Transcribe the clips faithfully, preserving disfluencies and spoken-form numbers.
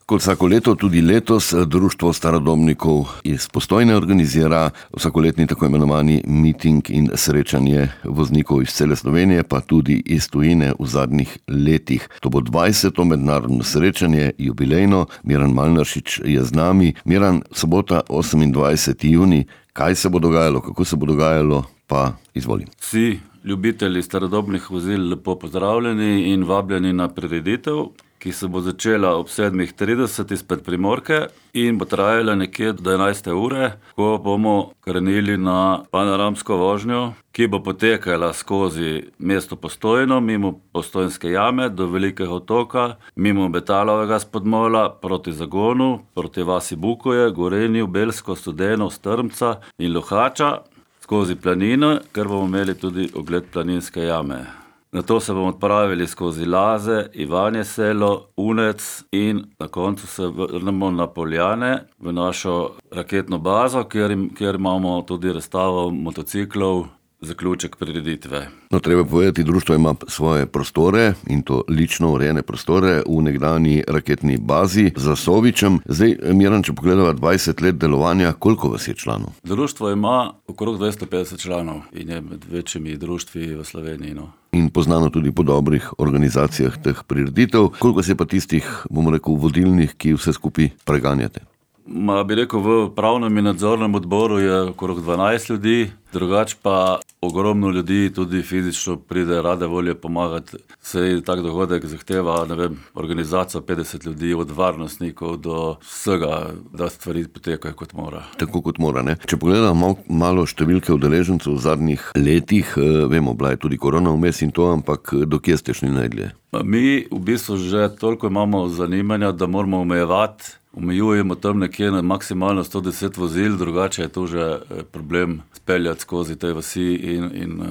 Kot vsako leto, tudi letos Društvo starodobnikov iz Postojne organizira vsakoletni tako imenovani miting in srečanje voznikov iz cele Slovenije, pa tudi iz tujine v zadnjih letih. To bo dvajseto mednarodno srečanje, jubilejno. Miran Malnaršič je z nami. Miran, sobota, osemindvajseti junij. Kaj se bo dogajalo, kako se bo dogajalo, pa izvolim. Vsi ljubitelji starodobnih vozil lepo pozdravljeni in vabljeni na prireditev, ki se bo začela ob sedmih trideset izpred Primorke in bo trajala nekje do enajste ure, ko bomo krenili na panoramsko vožnjo, ki bo potekala skozi mesto Postojno, mimo Postojnske jame do Velikega otoka, mimo Betalovega spodmola, proti Zagonu, proti vasi Bukoje, Gorenju, Belsko, Studeno, Strmca in Lohača, skozi planino, ker bomo imeli tudi ogled Planinske jame. Nato se bomo odpravili skozi Laze, Ivanje selo, Unec in na koncu se vrnemo na Poljane v našo raketno bazo, kjer, kjer imamo tudi razstavo motociklov, zaključek prireditve. No, treba povedati, društvo ima svoje prostore in to lično urejene prostore v nekdanji raketni bazi za Sovičem. Zdaj, Miran, če pogledava dvajset let delovanja, koliko vas je članov? Društvo ima okrog dvesto petdeset članov in je med večjimi društvi v Sloveniji. No. In poznano tudi po dobrih organizacijah teh prireditev. Koliko se pa tistih, bomo rekel, vodilnih, ki vse skupaj preganjate? Ma bi rekel, v pravnem in nadzornem odboru je okrog dvanajst ljudi, drugač pa ogromno ljudi tudi fizično pride rade volje pomagati. Sej tak dogodek zahteva, ne vem, organizacijo petdeset ljudi, od varnostnikov do vsega, da stvari potekajo kot mora. Tako kot mora, ne? Če pogledamo malo, malo številke udeležencev v zadnjih letih, vemo, bila je tudi korona vmes in to, ampak do kje ste šli najdlje? Mi v bistvu že toliko imamo zanimanja, da moramo omejevati. Omejujemo tam nekje na maksimalno sto deset vozil, drugače je to že problem speljati skozi te vasi in, in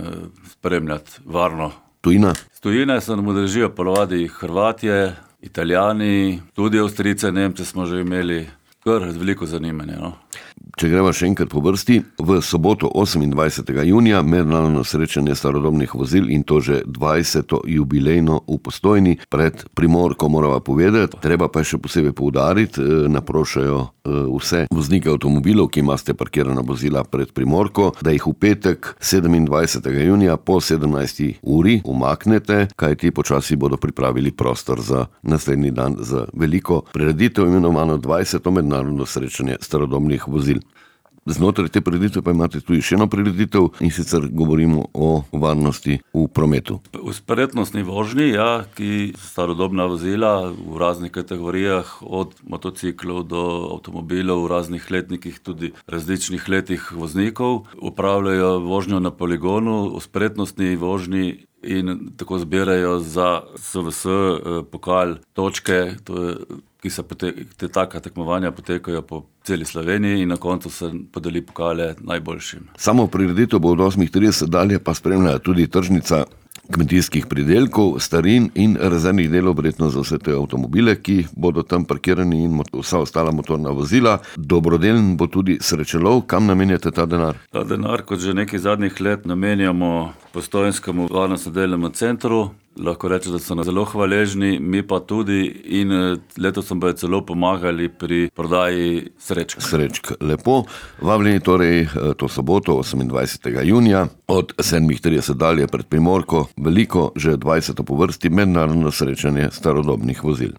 spremljati varno. Tujina? Z tujine se nam udeležijo ponovadi Hrvatje, Italijani, tudi Avstrijce, Nemce smo že imeli, kar veliko zanimanja. No. Če greva še enkrat po vrsti, v soboto osemindvajsetega junija mednarodno srečanje starodobnih vozil in to že dvajseto jubilejno v Postojni pred Primorko, morava povedati. Treba pa še posebej poudariti, naprošajo vse voznike avtomobilov, ki imate parkirana vozila pred Primorko, da jih v petek sedemindvajsetega junija po sedemnajsti uri umaknete, kajti počasi bodo pripravili prostor za naslednji dan za veliko prireditev, imenovano dvajseto mednarodno srečanje starodobnih vozil. Znotraj te prireditve pa imate tudi še eno prireditev in sicer govorimo o varnosti v prometu. Vzporednostni vožnji, ja, ki starodobna vozila v raznih kategorijah, od motociklov do avtomobilov v raznih letnikih, tudi različnih letih voznikov, upravljajo vožnjo na poligonu, vzporednostni vožnji in tako zbirajo za S V S pokal točke, to je ki se te taka tekmovanja potekajo po celi Sloveniji in na koncu se podeli pokale najboljšim. Samo prireditev bo od osmih trideset dalje pa spremlja tudi tržnica kmetijskih pridelkov, starin in rezervnih delov, verjetno za vse te avtomobile, ki bodo tam parkirani in vsa ostala motorna vozila. Dobrodelen bo tudi srečelov. Kam namenjate ta denar? Ta denar, kot že nekaj zadnjih let, namenjamo Postojnskemu varnostno-delnemu centru. Lahko rečem, da so nam zelo hvaležni, mi pa tudi in letos smo bojo celo pomagali pri prodaji srečk. Srečk, lepo. Vabljeni torej to soboto, osemindvajsetega junija, od sedmih trideset dalje pred Primorko, veliko, že dvajseto po vrsti mednarodno srečanje starodobnih vozil.